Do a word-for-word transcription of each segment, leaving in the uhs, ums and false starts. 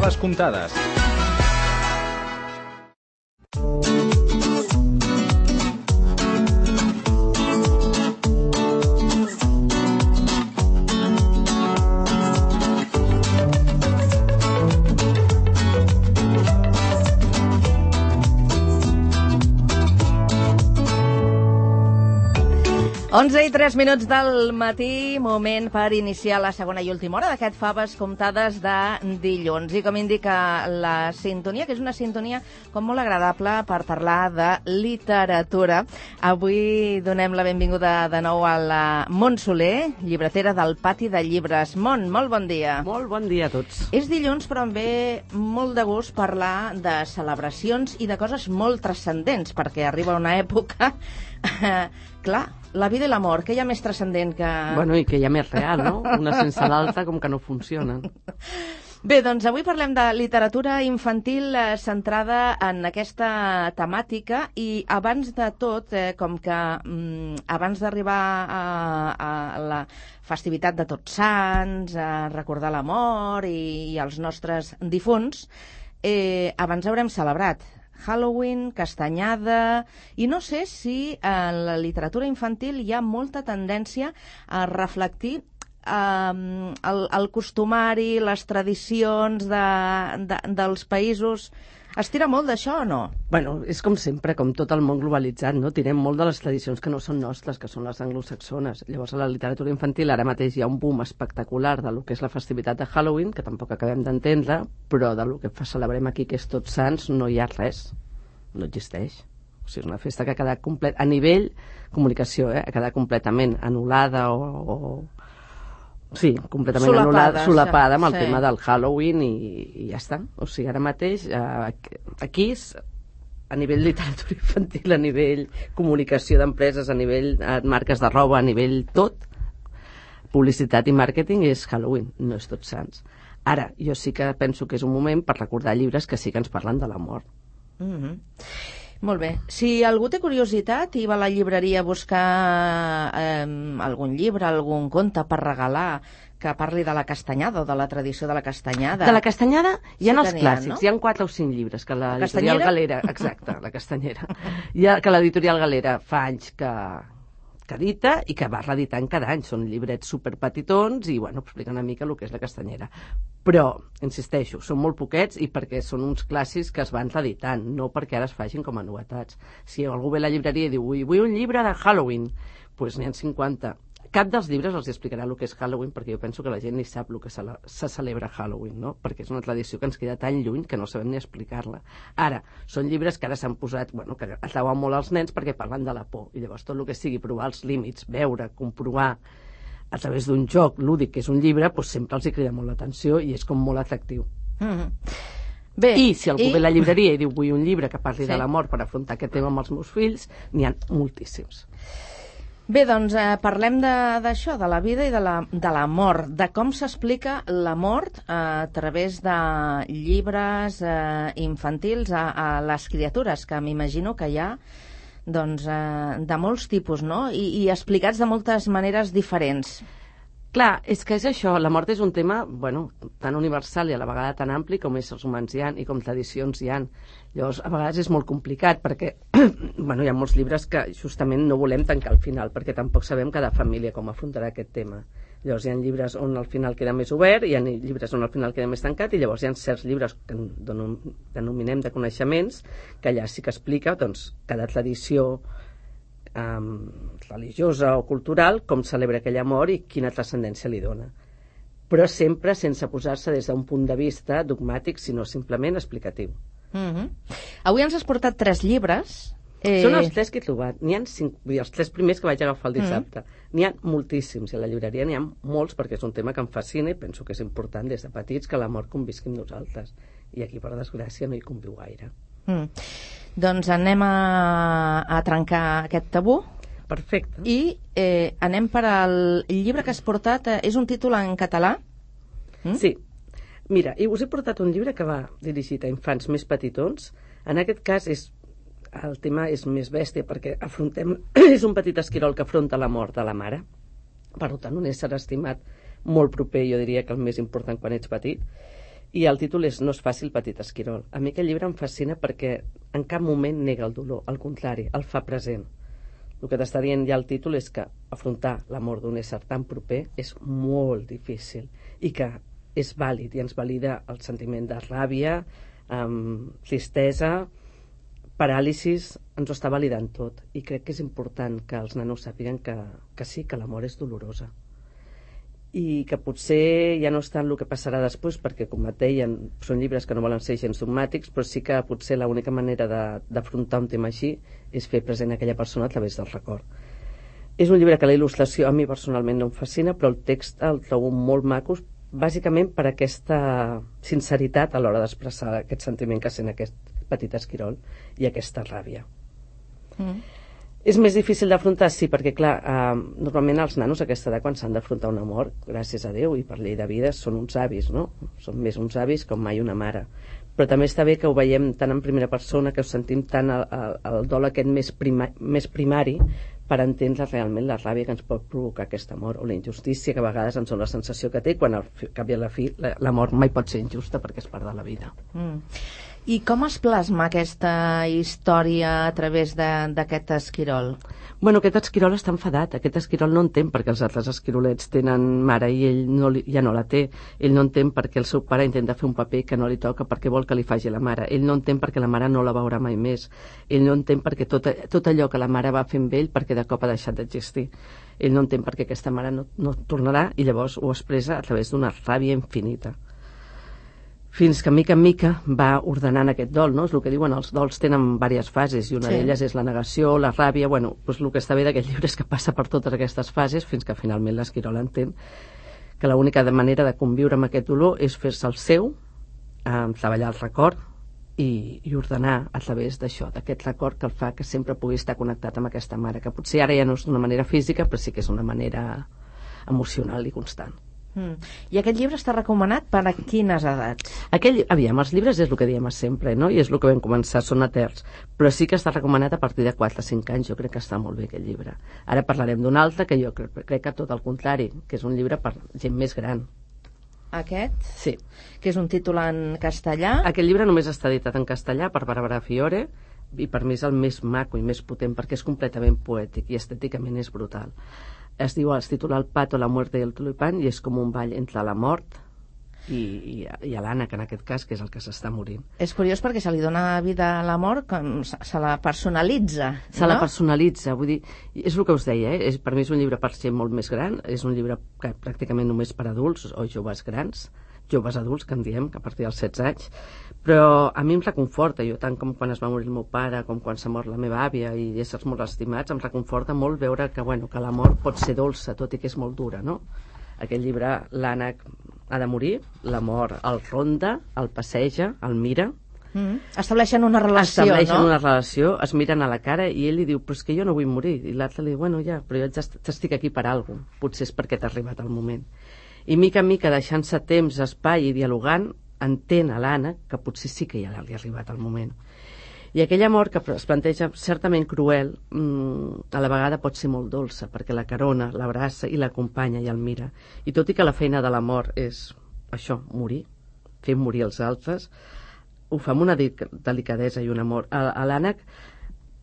Faves comptades. onze i tres minuts del matí, moment per iniciar la segona i última hora d'aquest Faves comptades de dilluns. I com indica la sintonia, que és una sintonia com molt agradable per parlar de literatura. Avui donem la benvinguda de nou a la Mont Soler, llibretera del Pati de Llibres. Mont, molt bon dia. Molt bon dia a tots. És dilluns, però em ve molt de gust parlar de celebracions i de coses molt transcendents, perquè arriba una època... Clar, la vida i l'amor, què hi ha més transcendent que... Bueno, i que hi ha més real, no? Una sense l'altra com que no funcionen. Bé, doncs avui parlem de literatura infantil eh, centrada en aquesta temàtica i abans de tot, eh, com que mm, abans d'arribar a, a la festivitat de Tots Sants, a recordar l'amor i, i els nostres difunts, eh, abans haurem celebrat Halloween, Castanyada, i no sé si en la literatura infantil hi ha molta tendència a reflectir eh, el, el costumari, les tradicions de, de, dels països. Es tira molt d'això o no? Bueno, és com sempre, com tot el món globalitzat, no? Tirem molt de les tradicions que no són nostres, que són les anglosaxones. Llavors, a la literatura infantil ara mateix hi ha un boom espectacular de lo que és la festivitat de Halloween, que tampoc acabem d'entendre, però de lo que celebrem aquí, que és Tots Sants, no hi ha res. No existeix. O sigui, és una festa que ha quedat complet... A nivell comunicació, eh? Ha quedat completament anul·lada o... o... Sí, completament solapada, anul·lada, solapada amb el sí. tema del Halloween i, i ja està. O sigui, ara mateix, eh, aquí, a nivell literatura infantil, a nivell comunicació d'empreses, a nivell eh, marques de roba, a nivell tot, publicitat i màrqueting és Halloween, no és Tots Sants. Ara, jo sí que penso que és un moment per recordar llibres que sí que ens parlen de l'amor. Mm-hmm. Molt bé. Si algú té curiositat i va a la llibreria a buscar eh, algun llibre, algun conte per regalar que parli de la castanyada o de la tradició de la castanyada... De la castanyada hi ha sí els tenien, clàssics, no? Hi ha quatre o cinc llibres que La l'editorial Castanyera? Galera... Exacte, la castanyera. Hi ha, que l'editorial Galera fa anys que, que edita i que va reeditant cada any. Són llibrets superpetitons i, bueno, explica una mica el que és la castanyera. Però, insisteixo, són molt poquets i perquè són uns clàssics que es van reeditant, no perquè ara es facin com a novetats. Si algú ve a la llibreria i diu vull, vull un llibre de Halloween, doncs n'hi ha cinquanta. Cap dels llibres els explicarà el que és Halloween, perquè jo penso que la gent ni sap el que se, la, se celebra Halloween, no? Perquè és una tradició que ens queda tan lluny que no sabem ni explicar-la. Ara, són llibres que ara s'han posat, bueno, que atrauen molt als nens perquè parlen de la por, i llavors tot el que sigui provar els límits, veure, comprovar a través d'un joc lúdic, que és un llibre, doncs sempre els hi crida molt l'atenció i és com molt atractiu. Mm-hmm. Bé, I si algú i... ve a la llibreria i diu vull un llibre que parli Sí. de l'amor per afrontar aquest tema amb els meus fills, n'hi ha moltíssims. Bé, doncs eh, parlem d'això, de, de la vida i de la, de la mort, de com s'explica la mort eh, a través de llibres eh, infantils a, a les criatures, que m'imagino que hi ha doncs, eh, de molts tipus, no? I, i explicats de moltes maneres diferents. Clar, és que és això, la mort és un tema, bueno, tan universal i a la vegada tan ampli com éssers humans hi ha i com tradicions hi ha. Llavors, a vegades és molt complicat perquè, bueno, hi ha molts llibres que justament no volem tancar al final perquè tampoc sabem cada família com afrontarà aquest tema. Llavors hi ha llibres on al final queda més obert, hi ha llibres on al final queda més tancat i llavors hi ha certs llibres que denominem de coneixements que allà sí que explica doncs, cada tradició Um, religiosa o cultural, com celebra aquell amor i quina transcendència li dona. Però sempre sense posar-se des d'un punt de vista dogmàtic, sinó simplement explicatiu. Mm-hmm. Avui ens has portat tres llibres. Eh... Són els tres que he trobat. N'hi ha cinc, vull dir, els tres primers que vaig agafar el dissabte. Mm-hmm. N'hi ha moltíssims, i a la llibreria n'hi ha molts, perquè és un tema que em fascina i penso que és important des de petits que l'amor convisqui amb nosaltres. I aquí, per desgràcia, no hi conviu gaire. Mm. Doncs anem a, a trencar aquest tabú. Perfecte. I eh, anem per al llibre que has portat. Eh, és un títol en català? Mm? Sí. Mira, i us he portat un llibre que va dirigit a infants més petitons. En aquest cas és, el tema és més bèstia perquè afrontem, és un petit esquirol que afronta la mort de la mare. Per tant, un ésser estimat molt proper, jo diria que el més important quan ets petit. I el títol és No és fàcil, petit esquirol. A mi aquest llibre em fascina perquè en cap moment nega el dolor, al contrari, el fa present. El que t'està dient ja el títol és que afrontar la mort d'un ésser tan proper és molt difícil i que és vàlid i ens valida el sentiment de ràbia, um, tristesa, paràlisis, ens ho està validant tot. I crec que és important que els nanos sàpiguen que, que sí, que la mort és dolorosa. I que potser ja no està en el que passarà després, perquè, com et deien, són llibres que no volen ser gens dogmàtics, però sí que potser l'única manera d'afrontar un tema així és fer present aquella persona a través del record. És un llibre que la il·lustració a mi personalment no em fascina, però el text el trobo molt maco, bàsicament per aquesta sinceritat a l'hora d'expressar aquest sentiment que sent aquest petit esquirol i aquesta ràbia. Mm. És més difícil d'afrontar, sí, perquè clar, eh, normalment els nanos a aquesta edat quan s'han d'afrontar una mort, gràcies a Déu i per llei de vida, són uns avis, no? Són més uns avis com mai una mare. Però també està bé que ho veiem tant en primera persona, que ho sentim tant el, el, el dol aquest més, prima, més primari per entendre realment la ràbia que ens pot provocar aquesta mort o la injustícia que a vegades ens dona la sensació que té quan al cap i a la fi la, la mort mai pot ser injusta perquè és part de la vida. Mm. I com es plasma aquesta història a través d'aquest esquirol? Bueno, aquest esquirol està enfadat. Aquest esquirol no entén perquè els altres esquirolets tenen mare i ell no li, ja no la té. Ell no entén perquè el seu pare intenta fer un paper que no li toca perquè vol que li faci la mare. Ell no entén perquè la mare no la veurà mai més. Ell no entén perquè tot, tot allò que la mare va fer amb ell perquè de cop ha deixat d'existir. Ell no entén perquè aquesta mare no, no tornarà i llavors ho expressa a través d'una ràbia infinita. Fins que mica en mica va ordenant aquest dol, no? És el que diuen, els dols tenen diverses fases i una sí. d'elles és la negació, la ràbia, bueno, doncs el que està bé d'aquest llibre és que passa per totes aquestes fases fins que finalment l'esquirol entén que l'única manera de conviure amb aquest dolor és fer-se el seu, eh, treballar el record i, i ordenar a través d'això, d'aquest record que el fa que sempre pugui estar connectat amb aquesta mare, que potser ara ja no és d'una manera física, però sí que és una manera emocional i constant. Mm. I aquest llibre està recomanat per a quines edats? Aquell, aviam, els llibres és el que diem sempre, no? I és el que vam començar, són eterns, però sí que està recomanat a partir de quatre a cinc anys. Jo crec que està molt bé aquest llibre. Ara parlarem d'un altre que jo crec, crec que tot el contrari, que és un llibre per gent més gran. Aquest? Sí. Que és un títol en castellà? Aquest llibre només està editat en castellà per Bàrbara Fiore i per mi és el més maco i més potent perquè és completament poètic i estèticament és brutal. Es diu, es titula El pato, la muerte y el tulipán i és com un ball entre la mort i, i, i l'ànec, en aquest cas, que és el que s'està morint. És curiós perquè se li dona vida a la mort, com se, se la personalitza, Se no? la personalitza, vull dir, és el que us deia, eh? és, per mi és un llibre per gent molt més gran, és un llibre que pràcticament només per adults o joves grans, joves adults, que en diem, que a partir dels setze anys, però a mi em reconforta, jo tant com quan es va morir el meu pare, com quan s'ha mort la meva àvia i éssers molt estimats, em reconforta molt veure que, bueno, que la mort pot ser dolça, tot i que és molt dura, no? Aquest llibre, l'ànec ha de morir, la mort el ronda, el passeja, el mira. Mm. Estableixen una relació, Estableixen no? una relació, es miren a la cara i ell li diu, però és que jo no vull morir. I l'altre li diu, bueno, ja, però jo t'estic aquí per alguna cosa. Potser és perquè t'ha arribat el moment. I mica en mica, deixant-se temps, espai i dialogant, entén a l'ànec que potser sí que ja li ha arribat el moment. I aquella mort que es planteja certament cruel, mmm, a la vegada pot ser molt dolça, perquè la carona, l'abraça i l'acompanya i el mira. I tot i que la feina de la mort és això, morir, fer morir els altres, ho fa amb una delicadesa i un amor. L'ànec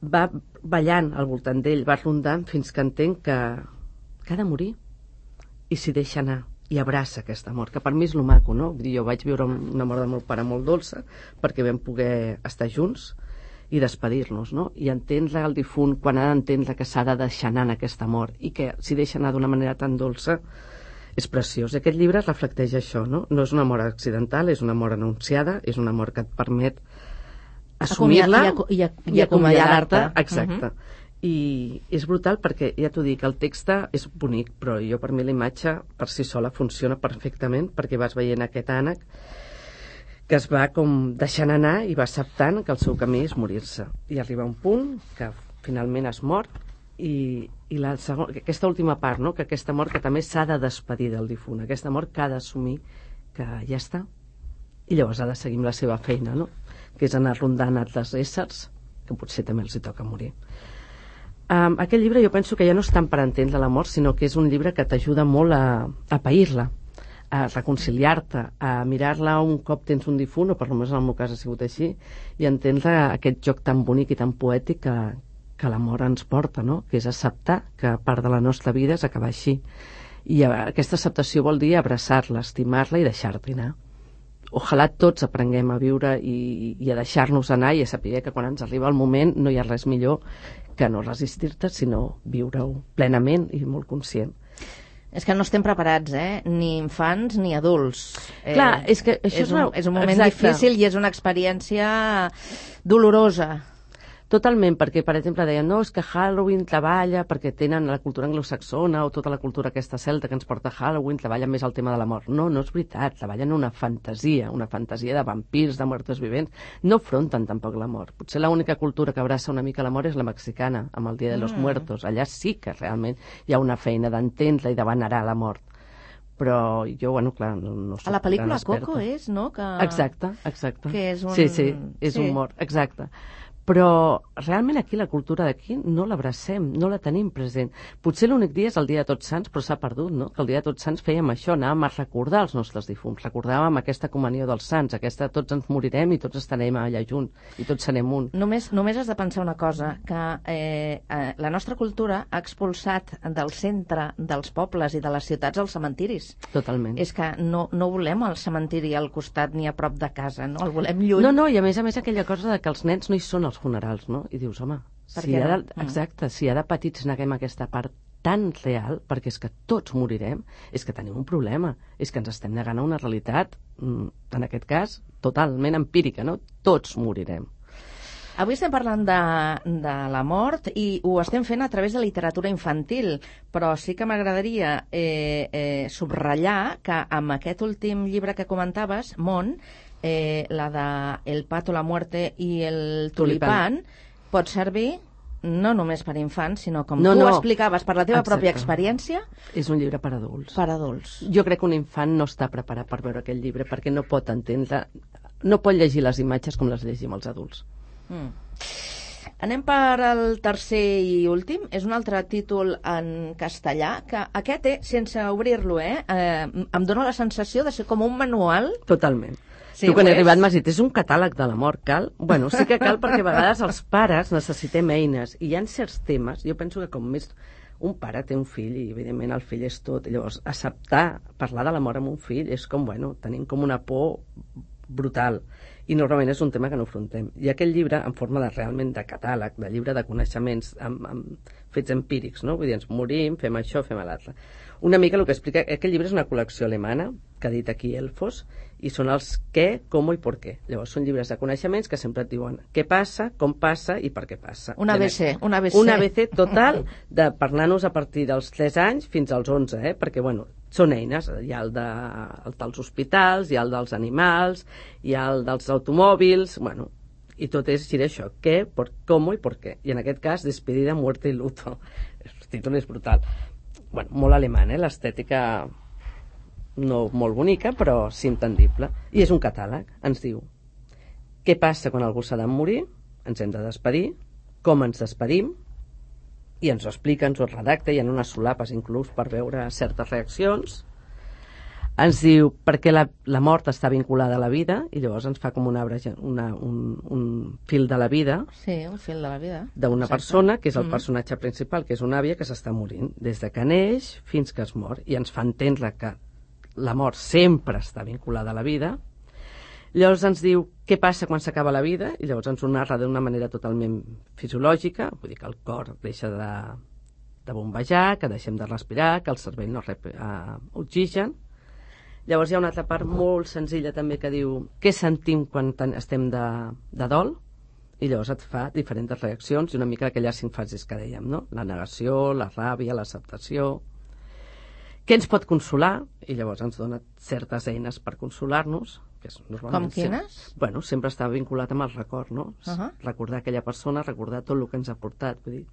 va ballant al voltant d'ell, va rondant fins que entén que, que ha de morir i s'hi deixa anar i abraça aquesta mort, que per mi és lo maco, no? Vull dir, jo vaig viure una mort del meu pare molt dolça perquè vam poder estar junts i despedir-nos, no? I entendre el difunt quan ha d'entendre que s'ha de deixar anar en aquesta mort i que s'hi deixa anar d'una manera tan dolça és preciós. Aquest llibre reflecteix això, no? No és una mort accidental, és una mort anunciada, és una mort que et permet assumir-la i, i, i acomiadar-te. Exacte. Uh -huh. I és brutal perquè, ja t'ho dic, el text és bonic, però jo per mi la imatge per si sola funciona perfectament perquè vas veient aquest ànec que es va com deixant anar i va acceptant que el seu camí és morir-se. I arriba un punt que finalment es mor i, i la segon, aquesta última part, no? Que aquesta mort que també s'ha de despedir del difunt, aquesta mort que ha d'assumir que ja està i llavors ha de seguir amb la seva feina, no? Que és anar rondant altres éssers que potser també els hi toca morir. Um, aquest llibre jo penso que ja no és tant per entendre la mort, sinó que és un llibre que t'ajuda molt a, a pair-la, a reconciliar-te, a mirar-la un cop tens un difunt, o per almenys en el meu cas ha sigut així, i entendre aquest joc tan bonic i tan poètic que, que l'amor ens porta, no? Que és acceptar que part de la nostra vida és acabar així. I aquesta acceptació vol dir abraçar-la, estimar-la i deixar-t'hi anar. Ojalà tots aprenguem a viure i, i a deixar-nos anar i a saber que quan ens arriba el moment no hi ha res millor que no resistir-te, sinó viure-ho plenament i molt conscient. És que no estem preparats, eh? Ni infants ni adults. Clar, eh, és que això és, un, una... és un moment Exacte. difícil i és una experiència dolorosa. Totalment, perquè, per exemple, deien, no, és que Halloween treballa perquè tenen la cultura anglosaxona o tota la cultura aquesta celta que ens porta Halloween, treballa més el tema de la mort. No, no és veritat, treballen una fantasia, una fantasia de vampirs, de muertos vivents. No afronten tampoc la mort. Potser l'única cultura que abraça una mica la mort és la mexicana, amb el Dia de los mm. Muertos. Allà sí que realment hi ha una feina d'entendre i de venerar la mort. Però jo, bueno, clar, no, no soc a la pel·lícula gran experta. Coco és, no? Que... Exacte, exacte. Que és un... Sí, sí, és sí. un mort, exacte. Però realment aquí la cultura d'aquí no l'abracem, no la tenim present. Potser l'únic dia és el dia de Tots Sants, però s'ha perdut, no? Que el dia de Tots Sants fèiem això, anàvem a recordar els nostres difunts, recordàvem aquesta comunió dels sants, aquesta tots ens morirem i tots estarem allà junts, i tots serem un. Només, només has de pensar una cosa, que eh, eh, la nostra cultura ha expulsat del centre dels pobles i de les ciutats els cementiris. Totalment. És que no, no volem el cementiri al costat ni a prop de casa, no? El volem lluny. No, no, i a més a més aquella cosa de que els nens no hi són als funerals, no? I dius, home, si ha de, exacte, si ha de petits neguem aquesta part tan real, perquè és que tots morirem, és que tenim un problema, és que ens estem negant a una realitat, en aquest cas, totalment empírica, no? Tots morirem. Avui estem parlant de, de la mort i ho estem fent a través de literatura infantil, però sí que m'agradaria eh, eh, subratllar que amb aquest últim llibre que comentaves, Món, eh, la de El pato, la muerte i el tulipán, tulipán. Pot servir no només per infants, sinó com no, tu no. explicaves, per la teva Exacte. pròpia experiència. És un llibre per adults. Per adults. Jo crec que un infant no està preparat per veure aquest llibre perquè no pot entendre, no pot llegir les imatges com les llegim els adults. Mm. Anem per al tercer i últim. És un altre títol en castellà, que aquest, eh, sense obrir-lo, eh, eh, em dóna la sensació de ser com un manual. Totalment. Sí, tu quan he és? arribat m'has dit, és un catàleg de la mort, cal? Bueno, sí que cal perquè a vegades els pares necessitem eines i hi ha certs temes, jo penso que com més un pare té un fill i evidentment el fill és tot, i llavors acceptar parlar de la mort amb un fill és com, bueno, tenim com una por brutal i normalment és un tema que no afrontem. I aquest llibre, en forma de realment de catàleg, de llibre de coneixements amb, amb fets empírics, no? Vull dir, ens morim, fem això, fem l'altre. Una mica el que explica, aquest llibre és una col·lecció alemana que ha dit aquí Elfos, i són els què, com i per què. Llavors són llibres de coneixements que sempre et diuen què passa, com passa i per què passa. Un A B C, un A B C. Un A B C total de parlar-nos a partir dels tres anys fins als onze, eh? Perquè, bueno, són eines, hi ha el, de, el dels hospitals, hi ha el dels animals, hi ha el dels automòbils, bueno, i tot és gira això, què, por, com i per què. I en aquest cas, despedida, muerte i luto. El títol és brutal. Bueno, molt alemany, eh? L'estètica no molt bonica, però sí entendible. I és un catàleg, ens diu què passa quan algú s'ha de morir, ens hem de despedir, com ens despedim, i ens ho explica, ens ho redacta, hi ha unes solapes inclús per veure certes reaccions. Ens diu per què la, la mort està vinculada a la vida, i llavors ens fa com una, una, un, un fil de la vida. Sí, un fil de la vida. D'una persona, que és el mm. personatge principal, que és una àvia que s'està morint, des de que neix fins que es mor, i ens fa entendre que la mort sempre està vinculada a la vida. Llavors ens diu què passa quan s'acaba la vida, i llavors ens ho narra d'una manera totalment fisiològica, vull dir que el cor deixa de, de bombejar, que deixem de respirar, que el cervell no rep uh, oxigen. Llavors hi ha una altra part molt senzilla també que diu què sentim quan estem de, de dol, i llavors et fa diferents reaccions i una mica aquelles cinc fases que dèiem, no? La negació, la ràbia, l'acceptació. Què ens pot consolar? I llavors ens dona certes eines per consolar-nos. Que és Com quines? Sempre, bueno, sempre està vinculat amb el record, no? Uh -huh. Recordar aquella persona, recordar tot el que ens ha portat. Vull dir,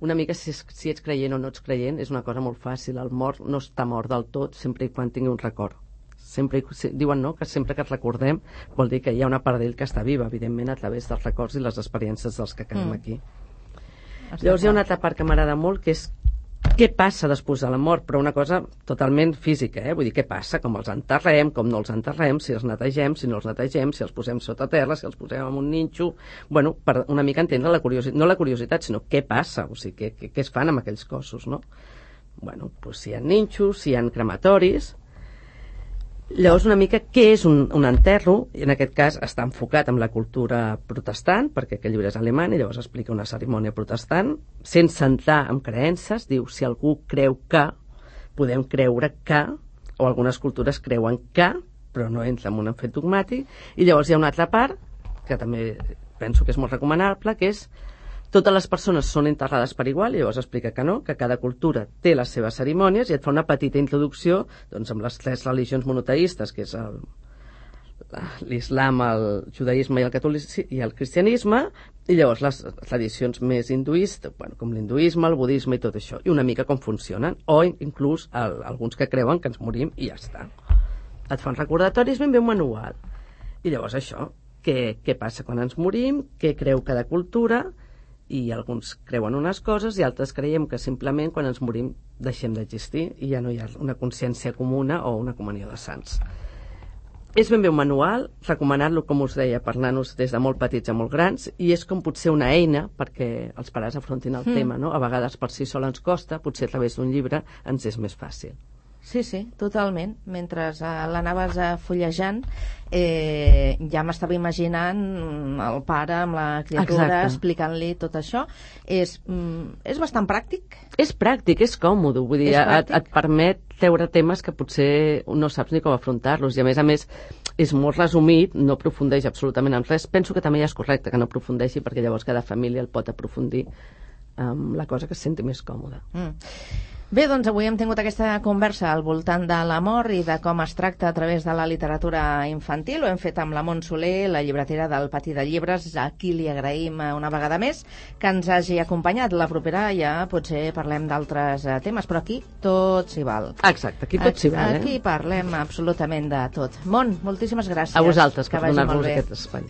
una mica si, si ets creient o no ets creient és una cosa molt fàcil. El mort no està mort del tot sempre i quan tingui un record. Sempre, diuen no, que sempre que et recordem vol dir que hi ha una part d'ell que està viva, evidentment a través dels records i les experiències dels que quedem mm. aquí. Està Llavors hi ha una altra part que m'agrada molt, que és què passa després de la mort, però una cosa totalment física, eh? Vull dir, què passa, com els enterrem, com no els enterrem, si els netegem, si no els netegem, si els posem sota terra, si els posem en un ninxo... Bueno, per una mica entendre la curiositat, no la curiositat, sinó què passa, o sigui, què, què, què es fan amb aquells cossos, no? Bueno, doncs si hi ha ninxos, si hi ha crematoris... Llavors, una mica, què és un, un enterro? I en aquest cas està enfocat en la cultura protestant, perquè aquest llibre és alemany, i llavors explica una cerimònia protestant, sense entrar en creences, diu, si algú creu que, podem creure que, o algunes cultures creuen que, però no entra en un fet dogmàtic, i llavors hi ha una altra part, que també penso que és molt recomanable, que és totes les persones són enterrades per igual, i llavors explica que no, que cada cultura té les seves cerimònies, i et fa una petita introducció doncs, amb les tres religions monoteistes, que és el, l'islam, el judaïsme i el catolicisme i el cristianisme, i llavors les tradicions més hinduistes, bueno, com l'hinduisme, el budisme i tot això, i una mica com funcionen, o inclús el, alguns que creuen que ens morim i ja està. Et fan recordatoris, ben bé un manual. I llavors això, què, què passa quan ens morim, què creu cada cultura, i alguns creuen unes coses i altres creiem que simplement quan ens morim deixem d'existir i ja no hi ha una consciència comuna o una comunió de sants. És ben bé un manual, recomanat-lo, com us deia, per nanos des de molt petits a molt grans, i és com potser una eina perquè els pares afrontin el mm. tema, no? A vegades per si sol ens costa, potser a través d'un llibre ens és més fàcil. Sí, sí, totalment. Mentre uh, l'anaves uh, fullejant, eh, ja m'estava imaginant el pare amb la criatura explicant-li tot això. És, mm, és bastant pràctic? És pràctic, és còmode, vull dir, et, et permet treure temes que potser no saps ni com afrontar-los, i a més a més és molt resumit, no aprofundeix absolutament en res. Penso que també ja és correcte que no aprofundeixi, perquè llavors cada família el pot aprofundir amb la cosa que es senti més còmoda. Mm. Bé, doncs avui hem tingut aquesta conversa al voltant de l'amor i de com es tracta a través de la literatura infantil. Ho hem fet amb la Mont Soler, la llibretera del Patí de Llibres, a qui li agraïm una vegada més que ens hagi acompanyat. La propera ja potser parlem d'altres temes, però aquí tot s'hi val. Exacte, aquí tot s'hi val. Eh? Aquí parlem absolutament de tot. Mont, moltíssimes gràcies. A vosaltres per donar-nos aquest espai.